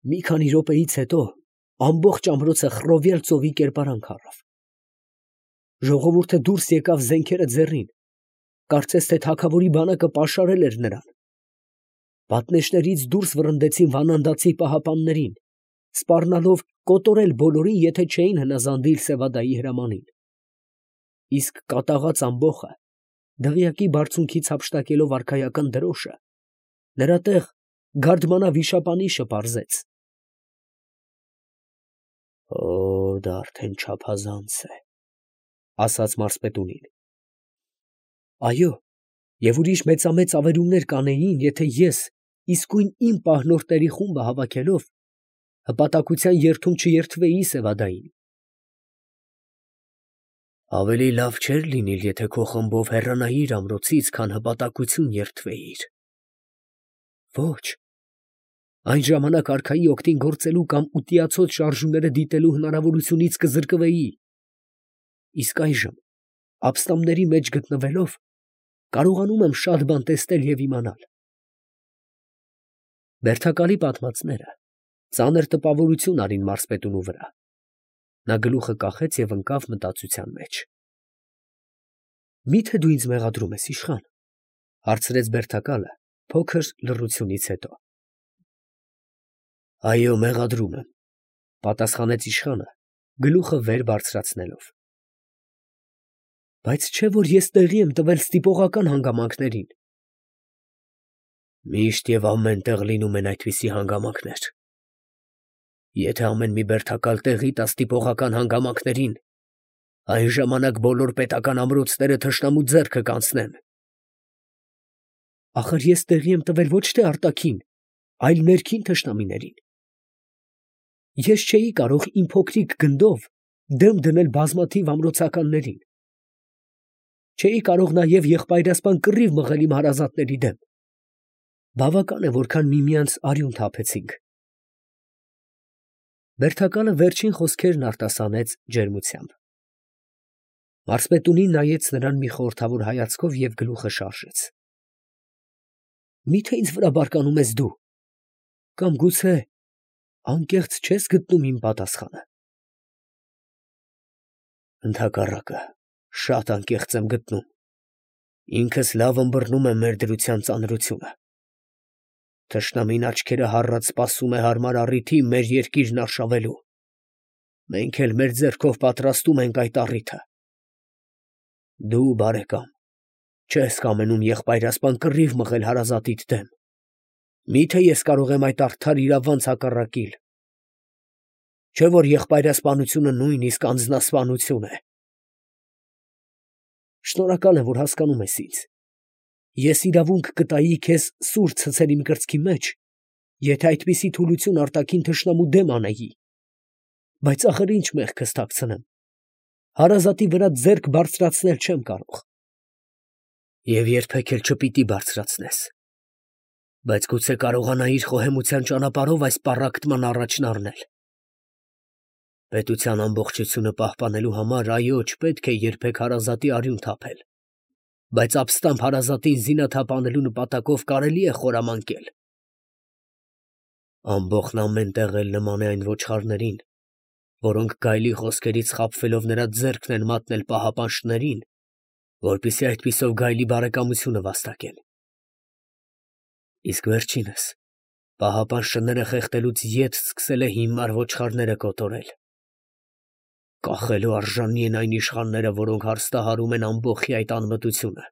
Մի քանի րոպեից հետո ամբողջ ամրոցը խռովյալ ծովի կերպարանք առավ. ժողովուրդը դուրս եկավ զենքերը ձեռին, կարծես թե թագավորի բանակը պաշարել էր նրան. պատնեշներից դուրս վռնդեցին վանանդացի պահապաններին, սպառնալով կոտորել բոլորին, եթե չէին հնազանդիլ Սևադայի հրամանին. իսկ կատաղած ամբոխը, դղյակի բարձունքից հափշտակելով արքայական դրոշը, նրա տեղ գարդմանա վիշապանիշը պարզեց. դա արդեն չափազանց է, ասաց մարզպետունին. այո, և ուրիշ մեծամեծ ավերումներ կանեին, եթե ես իսկույն իմ պահնորդների խումբը հավաքելով հպատակության երթում չերթվեի Սևադային. ավելի լավ չէր լինիլ, եթե քո խմբով հեռանայիր ամրոցից, քան հպատակություն երթվեիր. ոչ, այն ժամանակ արքայի օգտին գործելու կամ ուտիացոց շարժումները դիտելու հնարավորությունից կզրկվեի, իսկ այժմ ապստամբների մեջ գտնվելով կարողանում եմ շատ բան տեսնել և իմանալ. բերդակալի պատմածները ծանր տպավորություն արին մարզպետունու վրա. նա գլուխը կախեց և ընկավ մտածության մեջ։ Մի՞թե դու ինձ մեղադրում ես, իշխան, հարցրեց բերդակալը փոքր լռությունից հետո։ Այո, մեղադրում եմ, պատասխանեց իշխանը, գլուխը վեր բարձրացնելով։ Բայց չէ՞ որ ես տեղի եմ տվել ստիպողական հանգամանքներին։ Միշտ և ամեն տեղ լինում են այդպիսի հանգամանքներ։ Եթե ամեն մի բերդակալ տեղի տա ստիպողական հանգամանքներին, այն ժամանակ բոլոր պետական ամրոցները թշնամու ձեռքը կանցնեն։ Ախր ես տեղի եմ տվել ոչ թե արտաքին, այլ ներքին թշնամիներին։ Ես չէի կարող իմ փոքրիկ գնդով դեմ դնել բազմաթիվ ամրոցականներին։ Չէի կարող նաև եղբայրասպան կռիվ մղել իմ հարազատների դեմ։ Բավական է, որքան միմյանց արյուն թափեցինք։ Բերդակալը վերջին խոսքերն արտասանեց ջերմությամբ։ Մարզպետունին նայեց նրան մի խորհրդավոր հայացքով և գլուխը շարժեց։ Մի՞թե ինձ վրա բարկանում ես դու, կամ գուցե անկեղծ չես գտնում իմ պատասխանը։ Ընդհակառակը, շատ անկեղծ եմ գտնում։ Ինքս լավ ըմբռնում եմ մեր դրության ծանրությունը։ Թշնամին աչքերը հառած սպասում է հարմար առիթի մեր երկիրն արշավելու։ Մենք էլ մեր ձեռքով պատրաստում ենք այդ առիթը։ Դու, բարեկամ, չես կամենում եղբայրասպան կռիվ մղել հարազատիդ դեմ։ Մի՞թե ես կարող եմ այդ արդար իրավանց հակառակիլ։ Չէ՞ որ եղբայրասպանությունը նույնիսկ անձնասպանություն է։ Շնորհակալ եմ, որ հասկանում ես ինձ։ Ես իրավունք կտայի քեզ սուր ցցել իմ կրծքի մեջ, եթե այդպիսի թուլություն արտաքին թշնամու դեմ անեի։ Բայց ախր ինչ մեղքս թաքցնեմ։ Հարազատի վրա ձեռք բարձրացնել չեմ կարող։ Եվ երբեք էլ չպիտի բարձրացնես։ Բայց գուցե կարողանայիր խոհեմության ճանապարհով այս պառակտման առաջն առնել։ Պետության ամբողջությունը պահպանելու համար, այո, չպետք է երբեք հարազատի արյուն թափել, բայց ապստամբ հարազատին զինաթափ անելու նպատակով կարելի է խորամանկել։ Ամբոխն ամեն տեղ էլ նման է այն ոչխարներին, որոնք գայլի խոսքերից խաբվելով նրա ձեռքն են մատնել պահապան շներին, որպեսզի այդպիսով գայլի բարեկամությունը վաստակեն։ Իսկ վերջինս պահապան շները խեղդելուց ետ սկսել է հիմար ոչխարները կոտորել։ Կախելու արժանի են այն իշխանները, որոնք հարստահարում են ամբոխի այդ անմտությունը։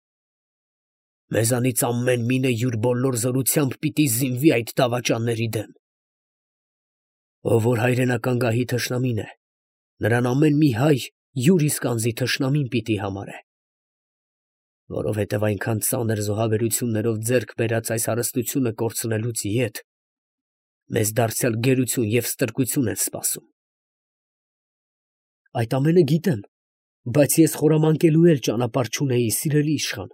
Մեզանից ամեն մինը յուր բոլոր զորությամբ պիտի զինվի այդ դավաճանների դեմ։ Ով որ հայրենական գահի թշնամին է, նրան ամեն մի հայ յուր իսկ անձի թշնամին պիտի համարե։ Որովհետև այնքան ծանր զոհաբերություններով ձեռք բերած այս հարստությունը կորցնելուց ետ մեզ դարձյալ գերություն և ստրկություն են սպասում։ Այդ ամենը գիտեմ, բայց ես խորամանկելու էլ ճանապարհ չունեի, սիրելի իշխան։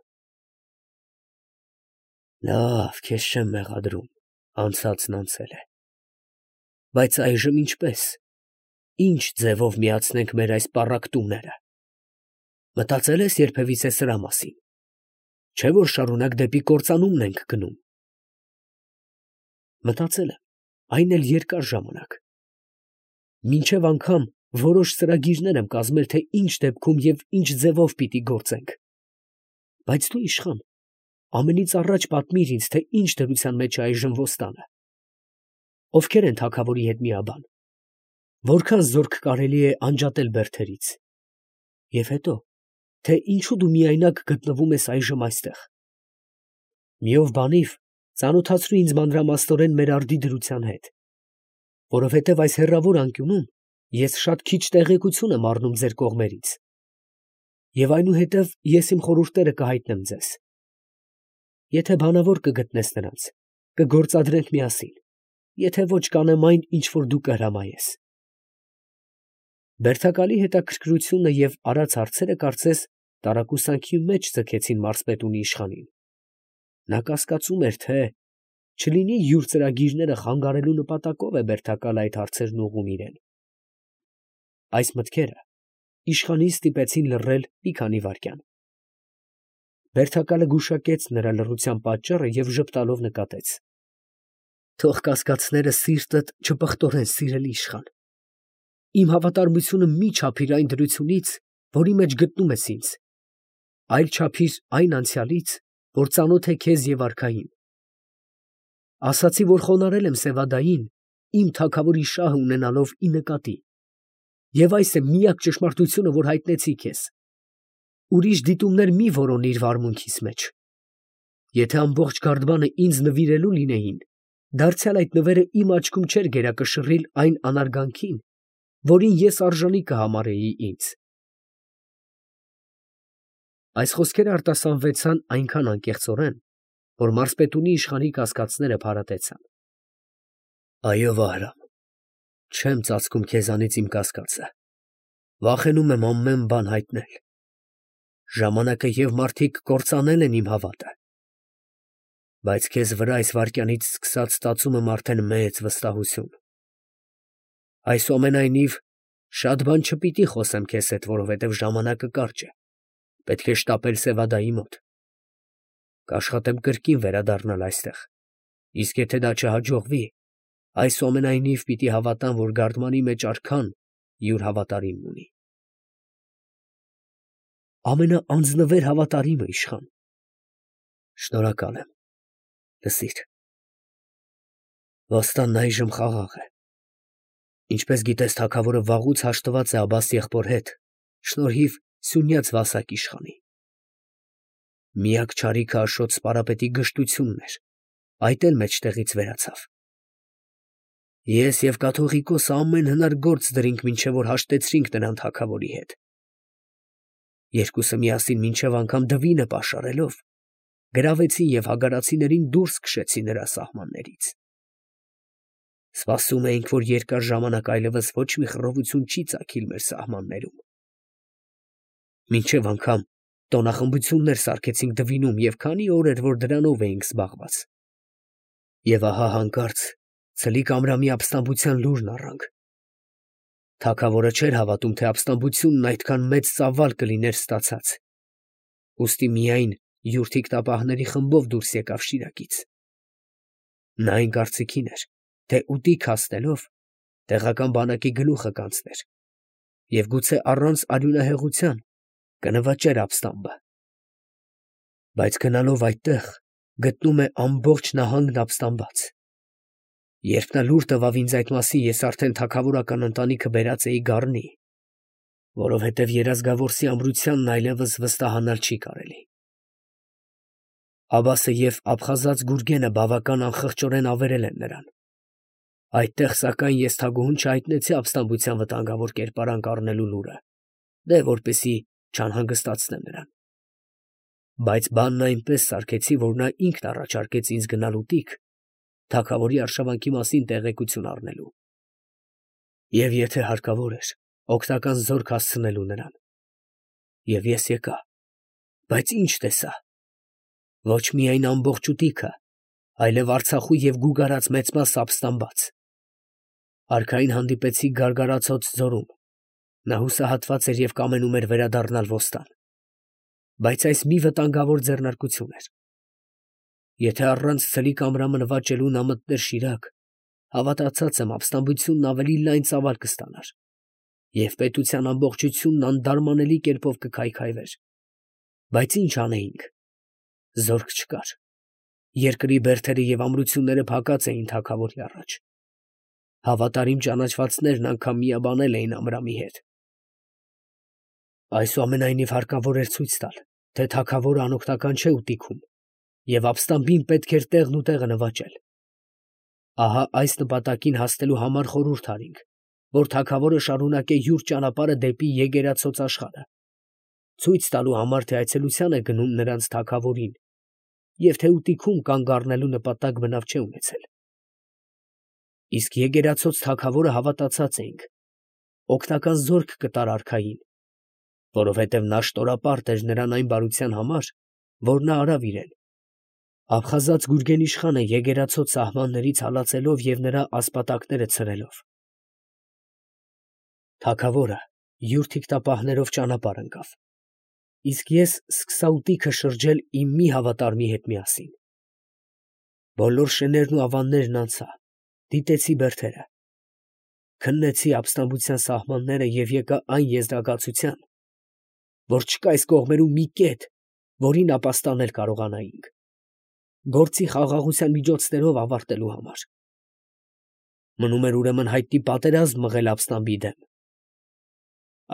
Լավ, քեզ չեմ մեղադրում, անցածն անցել է։ Բայց այժմ ինչպես, ինչ ձևով միացնենք մեր այս պառակտումները։ Մտածել ես երբևիցե սրա մասին։ Չէ՞ որ շարունակ դեպի կործանումն ենք գնում։ Մտածել եմ, այն էլ երկար ժամանակ։ Մինչև անգամ որոշ ծրագիրներ եմ կազմել, թե ինչ դեպքում և ինչ ձևով պիտի գործենք։ Բայց դու, իշխան, ամենից առաջ պատմիր ինձ, թե ինչ դրության մեջ է այժմ Ոստանը, ովքեր են թագավորի հետ միաբան, որքան զորք կարելի է անջատել բերդերից, և հետո, թե ինչու դու միայնակ գտնվում ես այժմ այստեղ։ Մի ով բանիվ ծանոթացրու ինձ մանրամասնորեն մեր արդի դրության հետ, որովհետև այս հեռավոր անկյունում ես շատ քիչ տեղեկություն եմ առնում ձեր կողմերից, և այնուհետև ես իմ խորհուրդները կհայտնեմ ձեզ։ Եթե բանավոր կգտնես նրանց, կգործադրենք միասին, եթե ոչ կանեմ այն, ինչ որ դու կհրամայես։ Բերդակալի հետաքրքրությունը և արած հարցերը կարծես տարակուսանքի մեջ ձգեցին մարզպետունի իշխանին։ Նա կասկածում էր, թե չլինի յուր ծրագիրները խանգարելու նպատակով է բերդակալը այդ հարցերն ուղղում իրեն։ Այս մտքերը իշխանին ստիպեցին լռել մի քանի վայրկյան։ Բերդակալը գուշակեց նրա լռության պատճառը և ժպտալով նկատեց. «Թող կասկածները սիրտդ չպղտորեն, սիրելի իշխան. իմ հավատարմությունը մի չափիր այն դրությունից, որի մեջ գտնում ես ինձ, այլ չափիր այն անցյալից, որ ծանոթ է քեզ և արքային։ Ասացի, որ խոնարհել եմ Սևադային, իմ թագավորի շահը ունենալով ի նկատի, և այս է միակ ճշմարտությունը, որ հայտնեցի քեզ։ Ուրիշ դիտումներ մի որոնիր վարմունքիս մեջ։ Եթե ամբողջ գարդբանը ինձ նվիրելու լինեին, դարձյալ այդ նվերը իմ աչքում չէր գերակշռիլ այն անարգանքին, որին ես արժանի կհամարեի ինձ»։ Այս խոսքերը արտասանվեցան այնքան անկեղծորեն, որ մարզպետունի իշխանի կասկածները փարատեցան։ «Այո, Վահրամ, չեմ ծածկում քեզանից իմ կասկածը, վախենում եմ ամեն բան հայտնել։ Ժամանակը և մարդիկ կործանել են իմ հավատը, բայց քեզ վրա այս վայրկյանից սկսած ստացում եմ արդեն մեծ վստահություն։ Այսուամենայնիվ, շատ բան չպիտի խոսեմ քեզ հետ, որովհետև ժամանակը կարճ է, պետք է շտապել Սևադայի մոտ։ Կաշխատեմ կրկին վերադառնալ այստեղ, իսկ եթե դա չհաջողվի, այսուամենայնիվ պիտի հավատամ, որ գարդմանի մեջ արքան յուր հավատարիմն ունի։ Ամենաանձնվեր հավատարիմը, իշխան։ Շնորհակալ եմ։ Լսիր, Ոստանն այժմ խաղաղ է։ Ինչպես գիտես, թագավորը վաղուց հաշտված է Աբբաս եղբոր հետ, շնորհիվ Սյունյաց Վասակ իշխանի։ Միակ չարիքը Աշոտ սպարապետի գժտությունն էր, այդ էլ մեջտեղից վերացավ։ Ես և կաթողիկոսը ամեն հնար գործ դրինք, մինչև որ հաշտեցրինք նրան թագավորի հետ։ Երկուսը միասին մինչև անգամ դվինը պաշարելով, գրավեցին և հագարացիներին դուրս քշեցին նրա սահմաններից։ Սպասում էինք, որ երկար ժամանակ այլևս ոչ մի խռովություն չի ծագիլ մեր սահմաններում։ Մինչև անգամ տոնախմբություններ սարքեցինք դվինում և քանի օր էր, որ դրանով էինք զբաղված։ Եվ ահա հանկարծ ցլիկ ամրամի ապստամբության լուրն առանք։ Թագավորը չէր հավատում, թե ապստամբությունն այդքան մեծ ծավալ կլիներ ստացած, ուստի միայն յուր թիկնապահների խմբով դուրս եկավ Շիրակից։ Նա այն կարծիքին էր, թե ուտիկ հասնելով տեղական բանակի գլուխը կանցներ և գուցե առանց արյունահեղության կնվաճեր ապստամբը։ Բայց գնալով այդտեղ գտնում է ամբողջ նահանգն ապստամբած։ Երբ նա լուր տվավ ինձ այդ մասին, ես արդեն թագավորական ընտանիքը բերած էի Գառնի, որովհետև երազգավորսի ամրությանն այլևս վստահանալ չի կարելի։ Աբբասը և Աբխազած Գուրգենը բավական անխղճորեն ավերել են նրան։ Այդտեղ, սակայն, ես թագուհուն չհայտնեցի ապստամբության վտանգավոր կերպարանք առնելու լուրը, դե որպեսզի չանհանգստացնեմ նրան։ Բայց բանն այնպես սարքեցի, որ նա ինքն առաջարկեց ինձ գնալ ուտիկ թագավորի արշավանքի մասին տեղեկություն առնելու, և եթե հարկավոր էր, օգնական զորք հասցնելու նրան։ Եվ ես եկա, բայց ինչ տեսա։ Ոչ միայն ամբողջ ուտիքը, այլև Արցախու և Գուգարած մեծ մասը ապստամբած։ Արքային հանդիպեցի Գարգարացոց ձորում, նա հուսահատված էր և կամենում էր վերադառնալ Ոստան, բայց այս մի վտանգավոր ձեռնարկություն էր։ Եթե առանց ցլիկ Ամրամը նվաճելու նա մտներ Շիրակ, Հավատացած եմ, ապստամբությունն ավելի լայն ծավալ կստանար, և պետության ամբողջությունն անդարմանելի կերպով կքայքայվեր։ Բայց ինչ անեինք. զորք չկար, երկրի բերդերը և ամրությունները փակած էին թագավորի առաջ, հավատարիմ ճանաչվածներն անգամ միաբանել էին Ամրամի հետ։ Այսուամենայնիվ հարկավոր էր ցույց տալ, թե թագավորը անօգնական չէ ուտիքում, և ապստամբին պետք էր տեղն ու տեղը նվաճել։ Ահա այս նպատակին հասնելու համար խորհուրդ արինք, որ թագավորը շարունակե յուր ճանապարհը դեպի Եգերացոց աշխարհը, ցույց տալու համար, թե այցելության է գնում նրանց թագավորին, և թե ուտիքում կանգ առնելու նպատակ բնավ չէ ունեցել։ Իսկ Եգերացոց թագավորը հավատացած էինք, օգնական զորք կտար արքային, որովհետև նա շտորապարտ էր նրան այն բարության համար, որ նա արավ իրեն, աբխազած Գուրգեն իշխանը Եգերացոց սահմաններից հալածելով և նրա ասպատակները ցրելով։ Թագավորը յուր թիկտապահներով ճանապարհ ընկավ, իսկ ես սկսա ուտիքը շրջել իմ մի հավատարմի հետ միասին։ Բոլոր շներն ու ավաններն անցա, դիտեցի բերդերը, քննեցի ապստամբության սահմանները և եկա այն եզրակացության, որ չկա այս կողմերում մի կետ, որին ապաստանել կարողանայինք, գործի խաղաղության միջոցներով ավարտելու համար։ Մնում էր ուրեմն հայտնի պատերազմ մղել ապստամբի դեմ։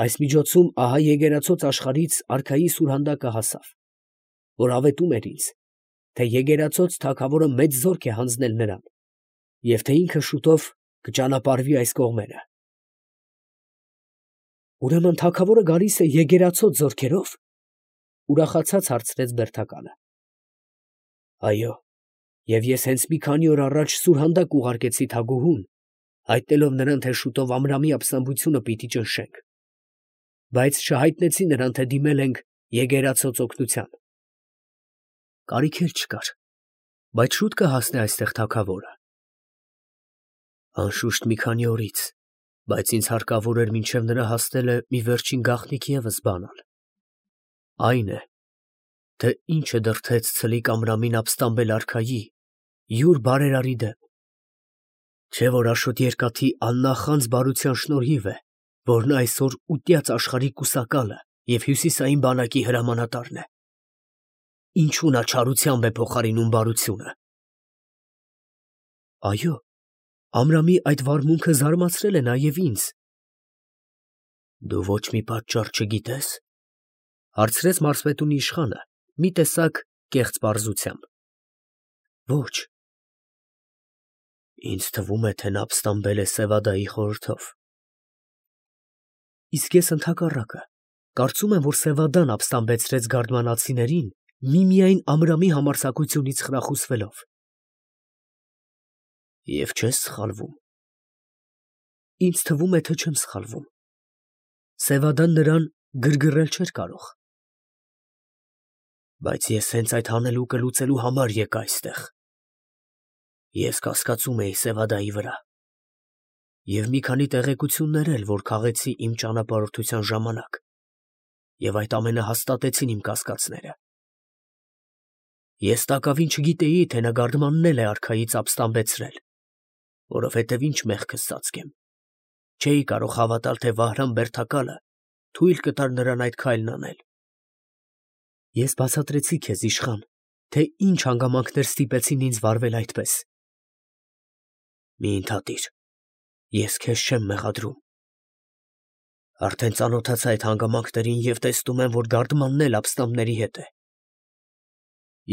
Այս միջոցում ահա Եգերացոց աշխարհից արքայի սուրհանդակը հասավ, որ ավետում էր ինձ, թե Եգերացոց թագավորը մեծ զորք է հանձնել նրան, և թե ինքը շուտով կճանապարհվի այս կողմերը։ Ուրեմն թագավորը գալիս է Եգերացոց զորքերով, ուրախացած հարցրեց բերդակալը։ Այո, և ես հենց մի քանի օր առաջ սուրհանդակ ուղարկեցի թագուհուն, հայտնելով նրան, թե շուտով Ամրամի ապստամբությունը պիտի ճնշենք, բայց չհայտնեցի նրան, թե դիմել ենք Եգերացոց օգնության։ Կարիք էլ չկար, բայց շուտ կհասնի այստեղ թագավորը։ Անշուշտ մի քանի օրից, բայց ինձ հարկավոր էր մինչև նրա հասնելը մի վերջին գաղտնիք ևս բանալ։ Այն է, թե ինչը դրդեց ցլիկ Ամրամին ապստամբել արքայի յուր բարերարի դեմ։ Չէ՞ որ Աշոտ Երկաթի աննախանձ բարության շնորհիվ է, որ նա այսօր ուտյաց աշխարհի կուսակալը և հյուսիսային բանակի հրամանատարն է։ Ինչու նա չարությամբ է փոխարինում բարությունը։ Այո, Ամրամի այդ վարմունքը զարմացրել է նաև ինձ։ Դու ոչ մի պատճառ չգիտես, հարցրեց մարզպետունի իշխանը մի տեսակ կեղծ պարզությամբ։ Ոչ։ Ինձ թվում է, թե նա ապստամբել է Սևադայի խորհրդով։ Իսկ ես ընդհակառակը կարծում եմ, որ Սևադան ապստամբեցրեց գարդմանացիներին միմիայն Ամրամի համարձակությունից խրախուսվելով։ Եվ չես սխալվում։ Ինձ թվում է, թե չեմ սխալվում։ Սևադան նրան գրգռել չէր կարող։ Բայց ես հենց այդ հանելուկը լուծելու համար եկա այստեղ։ Ես կասկածում էի Սևադայի վրա և մի քանի տեղեկություններ էլ, որ քաղեցի իմ ճանապարհորդության ժամանակ, և այդ ամենը հաստատեցին իմ կասկածները։ Ես տակավին չգիտեի, թե նա գարդմաննել է արքայից ապստամբեցրել, որովհետև ինչ մեղքս ծածկեմ, չէի կարող հավատալ, թե Վահրամ բերդակալը թույլ կտար նրան այդ քայլն անել։ Ես բացատրեցի քեզ, իշխան, թե ինչ հանգամանքներ ստիպեցին ինձ վարվել այդպես։ Մի ընդհատիր, ես քեզ չեմ մեղադրում։ Արդեն ծանոթացա այդ հանգամանքներին և տեսնում եմ, որ գարդմանն էլ ապստամբների հետ է։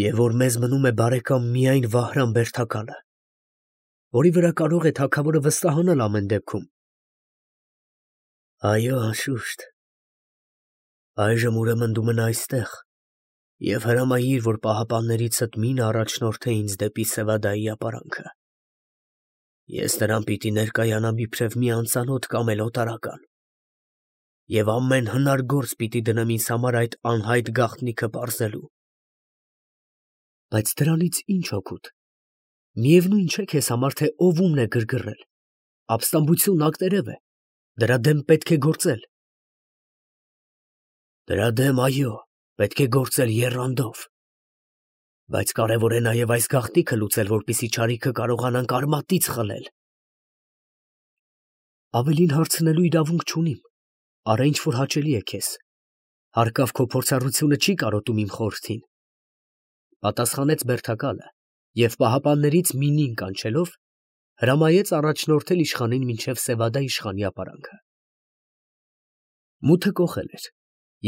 Եվ որ մեզ մնում է բարեկամ միայն Վահրամ բերդակալը, որի վրա կարող է թագավորը վստահանալ ամեն դեպքում։ Այո, անշուշտ։ Այժմ ուրեմն դու մնա այստեղ և հրամայիր, որ պահապաններիցդ մինը առաջնորդե ինձ դեպի Սևադայի ապարանքը։ Ես նրան պիտի ներկայանամ իբրև մի անծանոթ կամ էլ օտարական, և ամեն հնար գործ պիտի դնեմ ինձ համար այդ անհայտ գաղտնիքը պարզելու։ Բայց դրանից ի՞նչ օգուտ։ Միևնույն չէ քեզ համար, թե ով ումն է գրգռել։ Ապստամբությունն ակտերև է, դրա դեմ պետք է գործել։ Դրա դեմ, այո, պետք է գործել եռանդով։ Բայց կարևոր է նաև այս գաղտնիքը լուծել, որպեսզի չարիքը կարողանանք արմատից խլել։ Ավելին հարցնելու իրավունք չունիմ, արա ինչ որ հաճելի է քեզ, հարկավ քո փորձառությունը չի կարոտում իմ խորհրդին, պատասխանեց բերդակալը և պահապաններից մինին կանչելով, հրամայեց առաջնորդել իշխանին մինչև Սևադա իշխանի ապարանքը։ Մութը կոխել էր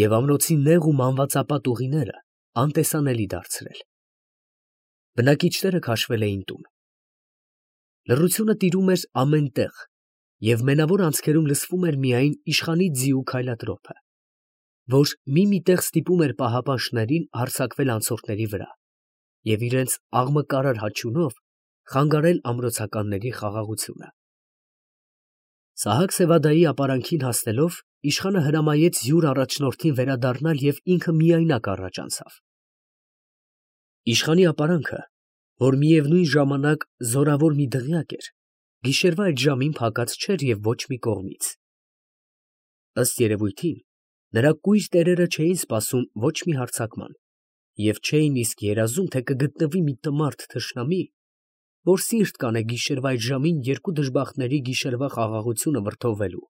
և ամրոցի նեղ ու մանվածապատ ուղիները անտեսանելի դարձրել։ Բնակիչները քաշվել էին տուն։ Լռությունը տիրում էր ամեն տեղ, և մենավոր անցքերում լսվում էր միայն իշխանի ձիու քայլատրոփը, որ մի տեղ ստիպում էր պահապան շներին հարձակվել անցորդների վրա և իրենց աղմկարար հաչյունով խանգարել ամրոցականների խաղաղությունը։ Սահակ Սևադայի ապարանքին հասնելով, իշխանը հրամայեց յուր առաջնորդին վերադառնալ և ինքը միայնակ առաջ անցավ։ Իշխանի ապարանքը, որ միևնույն ժամանակ զորավոր մի դղյակ էր, գիշերվա այդ ժամին փակած չէր և ոչ մի կողմից։ Ըստ երևույթին, նրա կույր տերերը չէին սպասում ոչ մի հարձակման և չէին իսկ երազում, թե կգտնվի մի տմարդ թշնամի, որ սիրտ կանե գիշերվա այդ ժամին երկու դժբախտների գիշերվա խաղաղությունը վրդովվելու։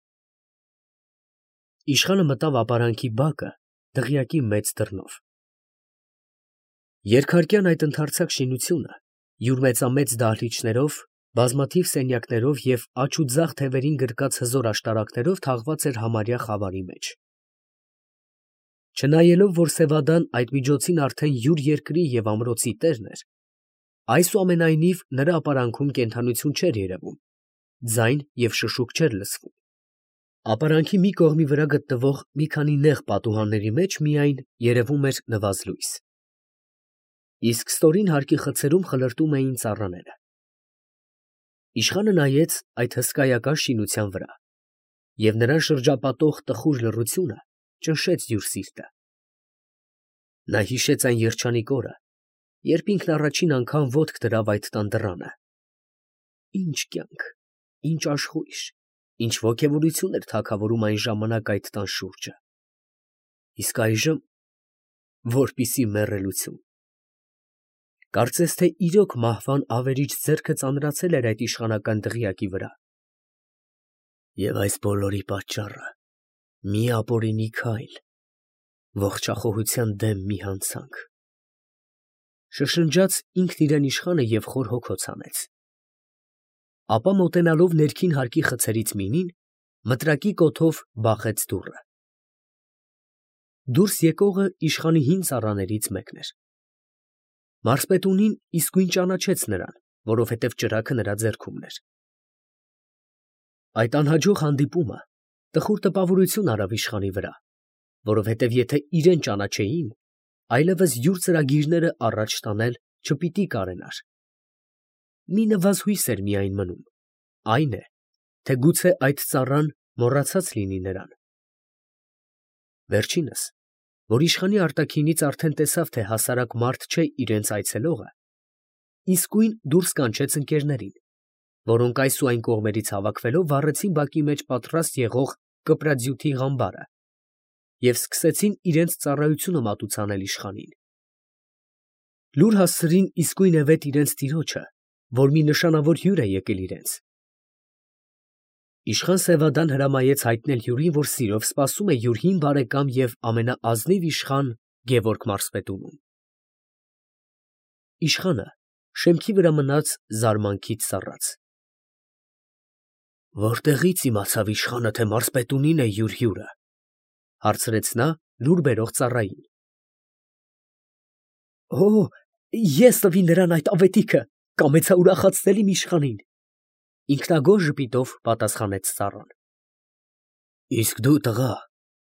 Իշխանը մտավ ապարանքի բակը դղյակի մեծ դռնով։ Երկհարկյան այդ ընդարձակ շինությունը յուր մեծամեծ դահլիճներով, բազմաթիվ սենյակներով և աջ ու ձախ թևերին գրկած հզոր աշտարակներով թաղված էր համարյա խավարի մեջ։ Չնայելով, որ Սևադան այդ միջոցին արդեն յուր երկրի և ամրոցի տերն էր, այսուամենայնիվ նրա ապարանքում կենդանություն չէր երևում, ձայն և շշուկ չէր լսվում։ Ապարանքի մի կողմի վրա գտնվող մի քանի նեղ պատուհանների մեջ միայն երևում էր նվազլույս, իսկ ստորին հարկի խցերում խլրտում էին ծառաները։ Իշխանը նայեց այդ հսկայական շինության վրա, և նրան շրջապատող տխուր լռությունը ճնշեց յուր սիրտը։ Նա հիշեց այն երջանիկ օրը, երբ ինքն առաջին անգամ ոտք դրավ այդ տան դռանը։ Ինչ կյանք, ինչ աշխույժ, ինչ ոգևորություն էր թագավորում այն ժամանակ այդ տան շուրջը։ Իսկ այժմ որպիսի մեռելություն։ Կարծես թե իրոք մահվան ավերիչ ձեռքը ծանրացել էր այդ իշխանական դղյակի վրա։ Եվ այս բոլորի պատճառը մի ապօրինի քայլ, ողջախոհության դեմ մի հանցանք, շշնջաց ինքն իրան իշխանը և խոր հոգոց հանեց։ Ապա մոտենալով ներքին հարկի խցերից մինին, մտրակի կոթով բախեց դուռը։ Դուրս եկողը իշխանի հին ծառաներից մեկն էր։ Մարզպետունին իսկույն ճանաչեց նրան, որովհետև ճրագը նրա ձեռքումն էր։ Այդ անհաջող հանդիպումը տխուր տպավորություն արավ իշխանի վրա, որովհետև եթե իրան ճանաչեին, այլևս յուր ծրագիրները առաջ տանել չպիտի կարենար։ Մի նվազույս էր միայն մնում, այն է, թե գուցե այդ ծառան մոռացած լինի նրան։ Վերջինս, որ իշխանի արտաքինից արդեն տեսավ, թե հասարակ մարդ չէ իրենց այցելողը, իսկույն դուրս կանչեց ընկերներին, որոնք այս ու այն կողմերից հավաքվելով վառեցին բակի մեջ պատրաստ եղող կպրաձյութի ղամբարը և սկսեցին իրենց ծառայությունը մատուցանել իշխանին։ Լուր հասցրին իսկույնևեթ իրենց տիրոջը, որ մի նշանավոր հյուր է եկել իրենց։ Իշխան Սևադան հրամայեց հայտնել հյուրին, որ սիրով սպասում է յուր հին բարեկամ և ամենաազնիվ իշխան Գևորգ մարզպետունում։ Իշխանը շեմքի վրա մնաց զարմանքից սառած։ «Որտեղի՞ց իմացավ իշխանը, թե մարզպետունին է յուր հյուրը», ֊ հարցրեց նա լուր բերող ծառային։ ֊ Ես տվի նրան այդ աղետիքը, կամեցա ուրախացնել իմ իշխանին, ֊ ինքնագոհ ժպիտով պատասխանեց ծառան։ ֊ Իսկ դու, տղա,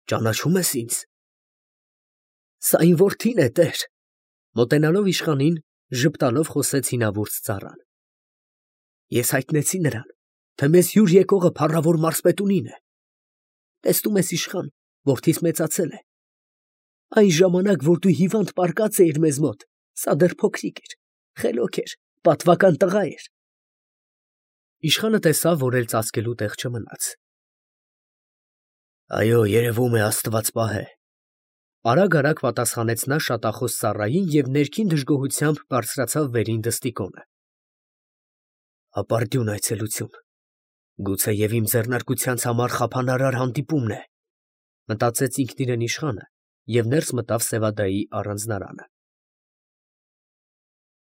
ճանաչո՞ւմ ես ինձ։ ֊ Սա իմ որդին է, տեր, ֊ մոտենալով իշխանին, ժպտալով խոսեց հինավուրց ծառան։ Ես հայտնեցի նրան, թե մեզ հյուր եկողը փառավոր մարզպետունին է։ Տեսնում ես, իշխան, որդիս մեծացել է։ Այն ժամանակ, որ դու հիվանդ պառկած էիր մեզ մոտ, սա դեռ փոքրիկ էր, խելոք էր, պատվական տղա էր։ Իշխանը տեսավ, որ էլ ծածկելու տեղ չմնաց։ Այո, երևում է, Աստված պահե, ֊ արագ պատասխանեց նա շատախոս ծառային և ներքին դժգոհությամբ բարձրացավ վերին դստիկոնը։ Ապարդյուն այցելություն, Գուցեև իմ ձեռնարկությանց համար խափանարար հանդիպումն է, մտածեց ինքն իրեն իշխանը և ներս մտավ Սևադայի առանձնարանը։